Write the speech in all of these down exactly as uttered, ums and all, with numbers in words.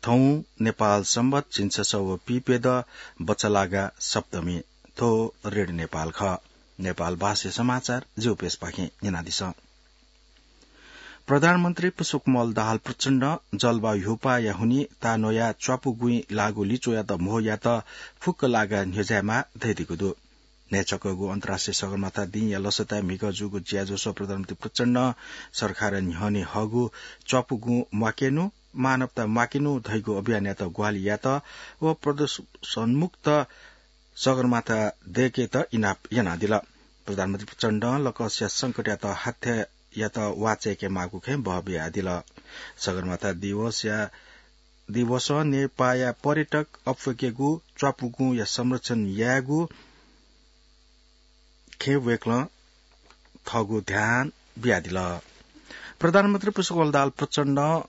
थौं नेपाल संवत झिंछसः व पीप्यदँ बचलागा सप्तमी। थ्व रेडियो नेपाल खः। नेपाल भाषाया समाचार जिगु पेजपाखें न्यनादिसँ। प्रधानमन्त्री पुष्पकमल दाहाल प्रचण्डं जलवायु ह्यूपाःया हुनिं ताःन्वयाः च्वापुगुँइ लाःगु लिच्वयात म्हो यायेत फुक्क लागा न्ह्यज्यायेमाः धयादीगु दु। न्हय्छकःगु अन्तर्राष्ट्रिय सगरमाथा दिंया लसताय् म्हिगः जूगु ज्याझ्वलय् प्रधानमन्त्री प्रचण्डं सरकारं न्ह्यःने हःगु च्वापुगुँ म्वाकेनु, मानवता म्वाकेनु धइगु अभियानयात ग्वाहालि यायेत व प्रदूषणमुक्त सगरमाथा दयेकेत इनाप यानादिल। प्रधानमन्त्री प्रचण्डं लकस्या संकटयात हाथ्यायात वाःचायेकेमाःगु खँय् बहः बियादिल। सगरमाथा दिवसया, दिवसं नेपाःया पर्यटक अप्वय्केगु, च्वापुगुँया संरक्षण यायेगु खँय् वय्कलं थःगु ध्यान बियादिल। प्रधानमन्त्री पुष्पकमल दाहाल प्रचण्डं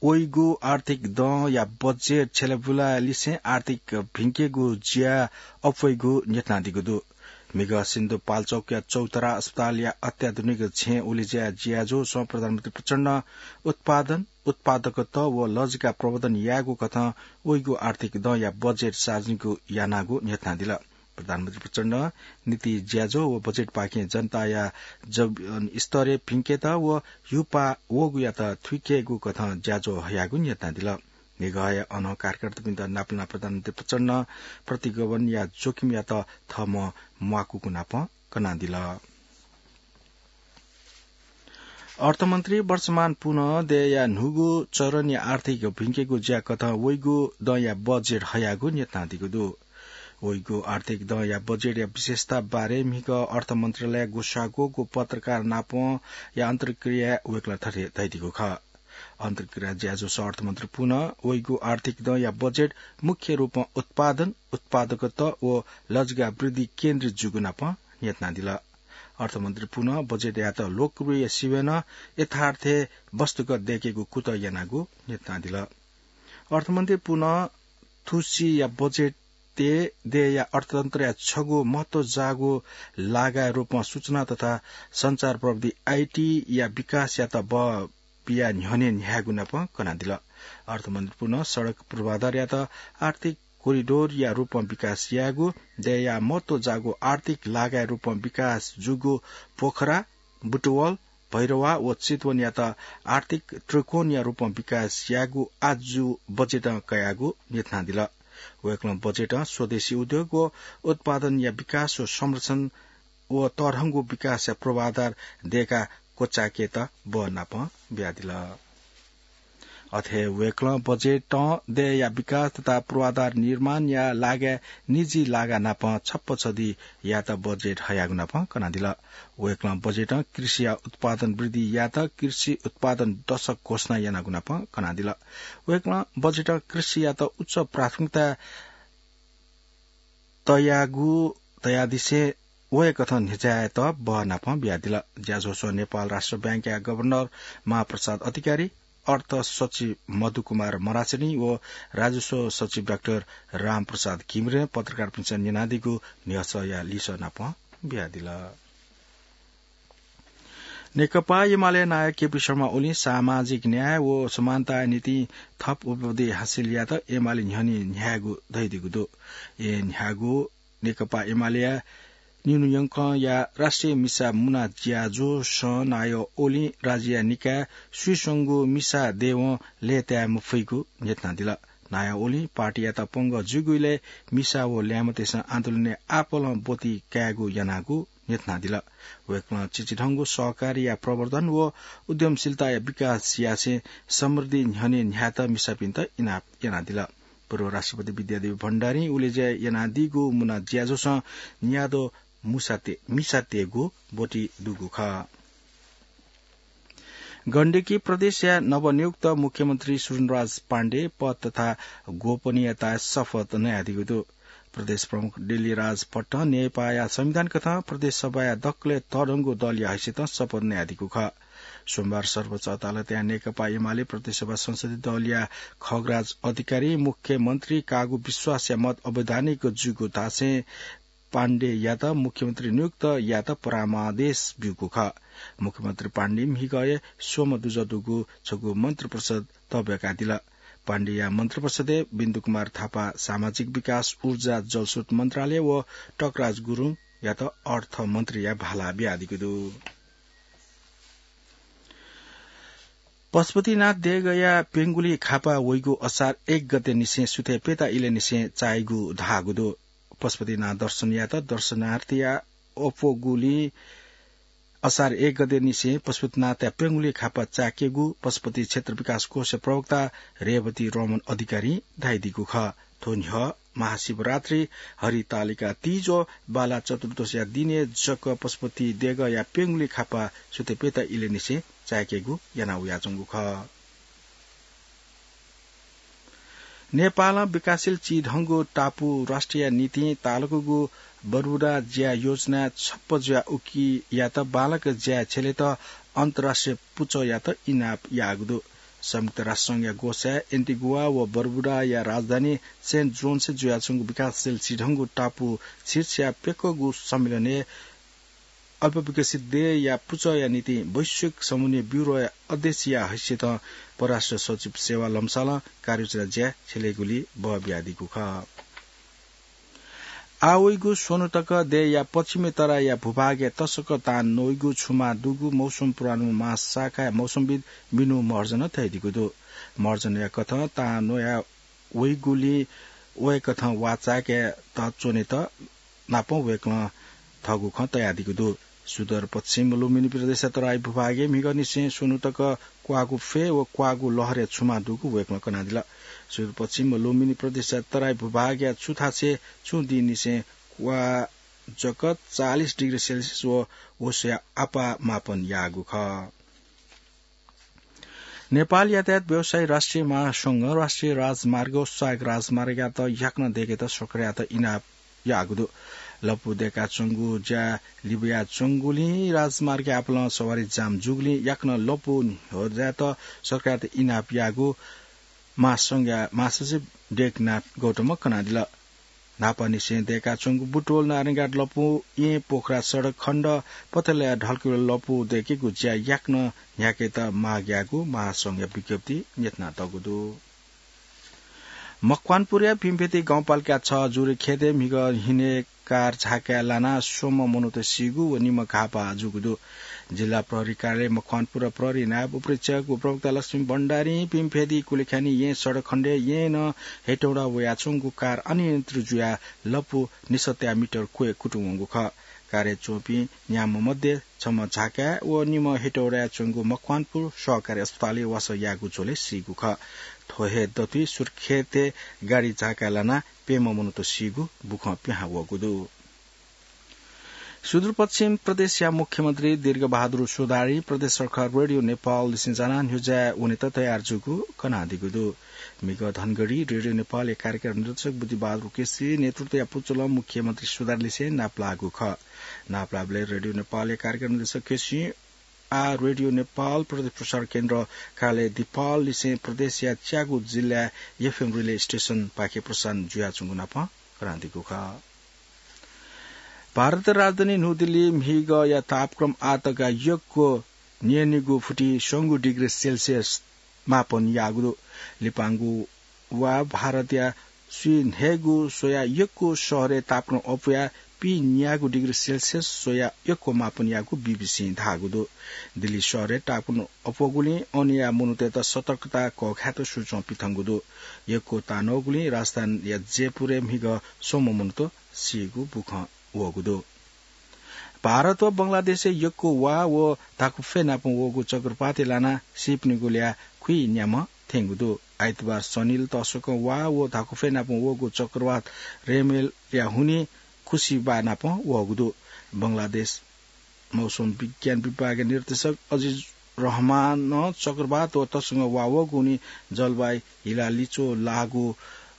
वइगु आर्थिक दँया बजेट छ्यलाबुलालिसें आर्थिक भिंकेगु ज्या अप्वइगु न्ह्यथनादीगु दु। म्हिगः सिन्धुपाल्चोकया चौतारा अस्पतालया अत्याधुनिक छेँय् उलेज्याय् ज्याझ्वलय् प्रधानमन्त्री प्रचण्डं उत्पादन, उत्पादकत्व व लजिका प्रवर्धन यायेगु कथं वइगु आर्थिक दँया बजेट सार्वजनिक यानागु न्ह्यथनादिल। प्रधानमन्त्री प्रचण्डं नीति ज्याझ्वः व बजेटपाखें जनताया जीवनस्तरय् भिंकेत व ह्यूपाः वःगुयात थुइकेगु कथं ज्याझ्वः हयागु न्ह्यथनादिल। म्हिगःया अनं कार्यकर्तापिन्त नापलानाः प्रधानमन्त्री प्रचण्डं प्रतिगमनया जोखिमयात थःम्हं म्वाकूगु नापं कनादिल। अर्थमन्त्री वर्षमान पुनं देय्‌या न्हूगु चरणया आर्थिक भिंकेगु ज्या कथं वइगु दँया बजेट हयागु न्ह्यथनादीगु दु। वइगु आर्थिक दँया बजेटया विशेषता बारे म्हिगः अर्थमन्त्रालयय् ग्वसाः ग्वःगु पत्रकारनापंया अन्तर्क्रियाय् वय्कलं थथे धयादीगु खः। अन्तर्क्रिया ज्याझ्वलय् अर्थमन्त्री पुनं वइगु आर्थिक दँया बजेट मुख्य रूपं उत्पादन, उत्पादकत्व व लजिका वृद्धि केन्द्रित जूगु नापं न्ह्यथनादिल। अर्थमन्त्री पुनं बजेटयात लोकप्रिय सिबें नं यथार्थय् वस्तुगत दयेकेगु कुतः यानागु न्ह्यथनादिल। अर्थमन्त्री पुनं थुसिया बजेटय् देय्‌या अर्थतन्त्रया छगू महत्वजाःगु लागाया रूपं सूचना तथा सञ्चार प्रविधि, आईटीया विकासयात बः बियाः न्ह्यःने न्ह्यायेगु नापं कनादिल। अर्थमन्त्री पुनं सडक पूर्वाधारयात आर्थिक कोरिडोरया रूपं विकास यायेगु, देय्‌या महत्वजाःगु आर्थिक लागाया रूपं विकास जूगु पोखरा, बुटवल, भैरवा व चितवनयात आर्थिक त्रिकोणया रूपं विकास यायेगु आजु बजेटं कयागु न्ह्यथनादिल। वय्कलं बजेटं स्वदेशी उद्योग व उत्पादनया विकास व संरक्षण व तःधंगु विकासया पूर्वाधार दयेका क्वचायेकेत बः नापं बियादिल। अथे वय्कलं बजेटं देय्‌या विकास तथा पूर्वाधार निर्माणया लागाय् निजी लागा नापं छप्पछदी यायेत बजेट हयागु नापं कनादिल। वय्कलं बजेटं कृषिया उत्पादन वृद्धि यायेत कृषि उत्पादन दशक घोषणा यानागु नापं कनादिल। वय्कलं बजेटं कृषियात उच्च प्राथमिकता तयागु, तयादिसें वय्कथं न्ह्यज्यायेत बः नापं बियादिल। ज्याझ्वलय् नेपाल राष्ट्र बैंकया गभर्नर महाप्रसाद अधिकारी, अर्थ सचिव मधुकुमार मरासिनी व राजस्व सचिव डाक्टर रामप्रसाद घिमिरें पत्रकारपिन्सं न्यनादीगु न्ह्यसःया लिसः नापं बियादिल। नेकपा एमाले नायः केपी शर्मा ओलीं सामाजिक न्याय व समानताया निंतिं थप उपलब्धि हासिल यायेत एमाले न्ह्यःने न्ह्यायेगु धयादीगु दु। एन्ह्यागु नेकपा एमालेया निन्हु यंकंया राष्ट्रिय मिसा मुना ज्याझ्वलय् नायः ओलीं राज्यया निकाय स्वीस्वंगू मिसा देय्‌वं लय्‌ताये मफइगु न्ह्यथनादिल। नायः ओलीं पार्टीयात पंगः जूगु इलय् मिसा व ल्याय्म्हतय्‌सं आन्दोलनय् आपालं ब्वति कायेगु यानागु न्ह्यथनादिल। वय्कलं चिचिधंगु सहकारीया प्रवर्धन व उद्यमशीलताया विकास यासें समृद्धि न्ह्यःने न्ह्यायेत मिसापिन्त इनाप यानादिल। पूर्व राष्ट्रपति विद्यादेवी भण्डारीं उलेज्या यानादीगु मुना ज्याझ्वलं न्याद्वः मुसाते-, मिसातय्‌गु ब्वति दुगु खः। गण्डकी प्रदेशया नवनियुक्त मुख्यमन्त्री सुजनराज पाण्डे पद तथा गोपनीयताया शपथ नयादीगु दु। प्रदेश प्रमुख डिल्लीराज भट्टं नेपाःया संविधान कथं प्रदेश सभाया दकलय् तःधंगु दलया हैसियतं शपथ नयादीगु खः। सोमबार सर्वोच्च अदालतया नेकपा एमाले प्रदेश सभा संसदीय दलया खगराज अधिकारी मुख्यमन्त्री काःगु विश्वासया मत अवैधानिक जूगु धासें पाण्डेयात मुख्यमन्त्री नियुक्त यायेत परामर्श ब्यूगु खः। मुख्यमन्त्री पाण्डे म्हिगःया स्वम्ह दुजः दुगु छगू मन्त्रिपरिषद तःब्याकादिल। पाण्डेया मन्त्रिपरिषदय् बिन्दु कुमार थापा सामाजिक विकास, ऊर्जा, जलस्रोत मन्त्रालय व टकराज गुरुङयात अर्थमन्त्रीया भाला बियादीगु दु। पशुपतिनाथ देगःया प्यंगुली खापा वइगु असार एक गते निसें सुथय् प्यता इलय् निसें चाइगु धाःगु दु। पशुपतिनाथ दर्शनयात दर्शनार्थीया अप्वःगुलिं असार एक गते निसें पशुपतिनाथया प्यंगुली खापा चाय्केगु पशुपति क्षेत्र विकास कोष प्रवक्ता रेवती रमण अधिकारीं धयादीगु खः। थ्व न्ह्यः महाशिवरात्रि, हरितालिका तीज व बाला चतुर्दशीया दिनय् जक पशुपति देगःया प्यंगुली खापा सुथय् प्यता इलय् निसें चाय्केगु याना वयाच्वंगु खः। नेपालं विकासशील चिधंगु टापु राष्ट्रया निंतिं तालुकागु बर्बुडा ज्या योजना छप्पँ जुया उकियात बांलाक ज्याय् छ्यलेत अन्तर्राष्ट्रिय पुचःयात इनाप याःगु दु। संयुक्त राष्ट्र संघया ग्वसाय् एन्टिगुवा व बर्बुडाया राजधानी सेन्ट जोन्सय् जुयाच्वंगु विकासशील चिधंगु टापु शीर्षया प्यक्वःगु सम्मेलनय् अल्पविकसित देय्‌या पुचःया निंतिं वैश्विक समन्वय ब्यूरोया अध्यक्षया हैसियतं परराष्ट्र सचिव सेवा लम्सालं कार्ययोजना ज्याय् छ्यलेगुली बः बियादीगु खः। आः वइगु स्वन्हु तक देय्‌या पश्चिमी तराईया भूभागय् तसकं तां नइगु छुमा दुगु मौसम पूर्वानुमान महाशाखाया मौसमविद् मिनु महर्जनं धयादीगु दु। महर्जनया कथं तां नया वइगुलिं वय्‌कथं वा चाय्‌केत च्वनेत नापं वय्‌कलं थःगु खँ तयादीगु दु। सुदूरपश्चिम लुम्बिनी प्रदेशया तराई भूभागय् म्हिगःनिसें स्वन्हु तक क्वाःगु फ्वय् व क्वाःगु लहरय् छुमा दुगु वय्‌कलं कनादिल। सुदूरपश्चिम लुम्बिनी प्रदेशया तराई भूभागया छुथासय् छुं दिंनिसें क्वाः जक चालिस डिग्री सेल्सियस व व स्वया आपाः मापन याःगु खः। नेपाल यातायात व्यवसायी राष्ट्रिय महासंघं राष्ट्रिय राजमार्ग व स्वायत्त राजमार्गयात याकनं दय्‌केत सरकारयात इनाप याःगु दु। लँपु दय्‌काच्वंगु ज्या लिबायाच्वंगुलिं राजमार्गय् आपालं सवारी जाम जूगुलिं याकनं लँपु न्ह्यःजायेत सरकारयात इनाप याःगु महासंघया महासचिव टेकनाथ गौतमं कनादिल। न्हापांनिसें दय्‌काच्वंगु बुटवल नारायणघाट लँपु येँ पोखरा सडक खण्ड पथलया ढल्केबुले लँपु दय्‌केगु ज्या याकनं न्ह्याकेत माग याःगु महासंघया विज्ञप्तिइ न्ह्यथनातःगु दु। मकवानपुरया पिम्फेदी गाउँपालिका छ जुरेखेतय् म्हिगः हिन्हय् कार झाकाय् लानाः स्वम्ह मनूत सीगु व निम्ह घाःपाः जूगु दु। जिल्ला प्रहरी कार्यालय मकवानपुर प्रहरी नायब उपरीक्षक व प्रवक्ता लक्ष्मी भण्डारीं पिम्फेदी कुलेखानी येँ सडक खण्डय् येँनं हेटौडा वयाच्वंगु कार अनियन्त्रित जुयाः लँपु निसत्ताया मिटर क्वय् कुतुं वंगु खः। कारय् च्वंपिं न्याम्ह मध्ये छम्ह झाकाय् व निम्ह हेटौडाय् च्वंगु मकवानपुर सहकारी अस्पतालय् वासः याःगु झ्वलय् सीगु खः। थ्व हे दथुइ सुर्खेतय् गाडी झाकाय् लानाः प्यम्ह मनूत सीगु बुखँ पिहां वःगु दु। सुदूरपश्चिम प्रदेशया मुख्यमन्त्री दीर्घबहादुर सुधारी प्रदेश सरकार रेडियो नेपाललिसें जानाः न्ह्यज्याय् वनेत तयार जूगु कनादीगु दु। म्हिगः धनगढी रेडियो नेपालया कार्यक्रम निर्देशक बुद्धिबहादुर केसी नेतृत्वया पुचलं मुख्यमन्त्री सुधारीलिसें नापलाःगु खः। नापलाःबलय् रेडियो नेपालया कार्यक्रम निर्देशक केसीं आः रेडियो नेपाल प्रदेश प्रसारण केन्द्र कार्यालय दिपाललिसें प्रदेशया च्यागू जिल्लाय् एफएम रिले स्टेशनपाखे प्रसारण जुयाच्वंगु नापं कनादीगु खः। भारतया राजधानी न्हूदिल्ली म्हिगःया तापक्रम आःतक यक्व न्यय्निगू फुति स्वंगू डिग्री सेल्सियस मापन याःगु दु। लिपांगु वा भारतया स्वीन्हय्गू स्वयाः यक्व शहरय् तापक्रम अप्वयाः पीन्यागू डिग्री सेल्सियस स्वयाः यक्व मापन याःगु बीबीसीं धाःगु दु। दिल्ली शहरय् तापक्रम अप्वःगुलिं अनया मनूतय्त सतर्कता कःघायेत सूचं पिथंगु दु। यक्व तांनःगुलिं राजधानीया जयपुरय् म्हिगः स्वम्ह मनूत सीगु बुखँ वःगु दु। भारत व बंगलादेशय् यक्व वा व धाकुफ्वय् नाप वःगु चक्रवातय् लानाः सीपिनिगु ल्याः खुइन्याम्ह थ्यंगु दु। आइतबार सनिल तसकं वा व धाकुफ्वय् नाप वःगु चक्रवात रेमेलया हुनिं खुसिबा नाप वःगु दु। बंगलादेश मौसम विज्ञान विभागया निर्देशक अजिज रहमानं चक्रवात व तसकं वा वःगु हुनिं जलवायु हिलालिच्वः लाःगु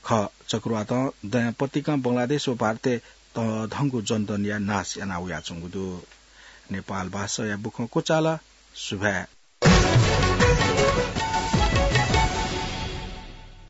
खः। चक्रवातं दँय् पतिकं बंगलादेश व भारतय् तःधंगु जनधनया नाश याना वयाच्वंगु दु। नेपाल भाषाया बुखँ क्वचाल। सुभाय्।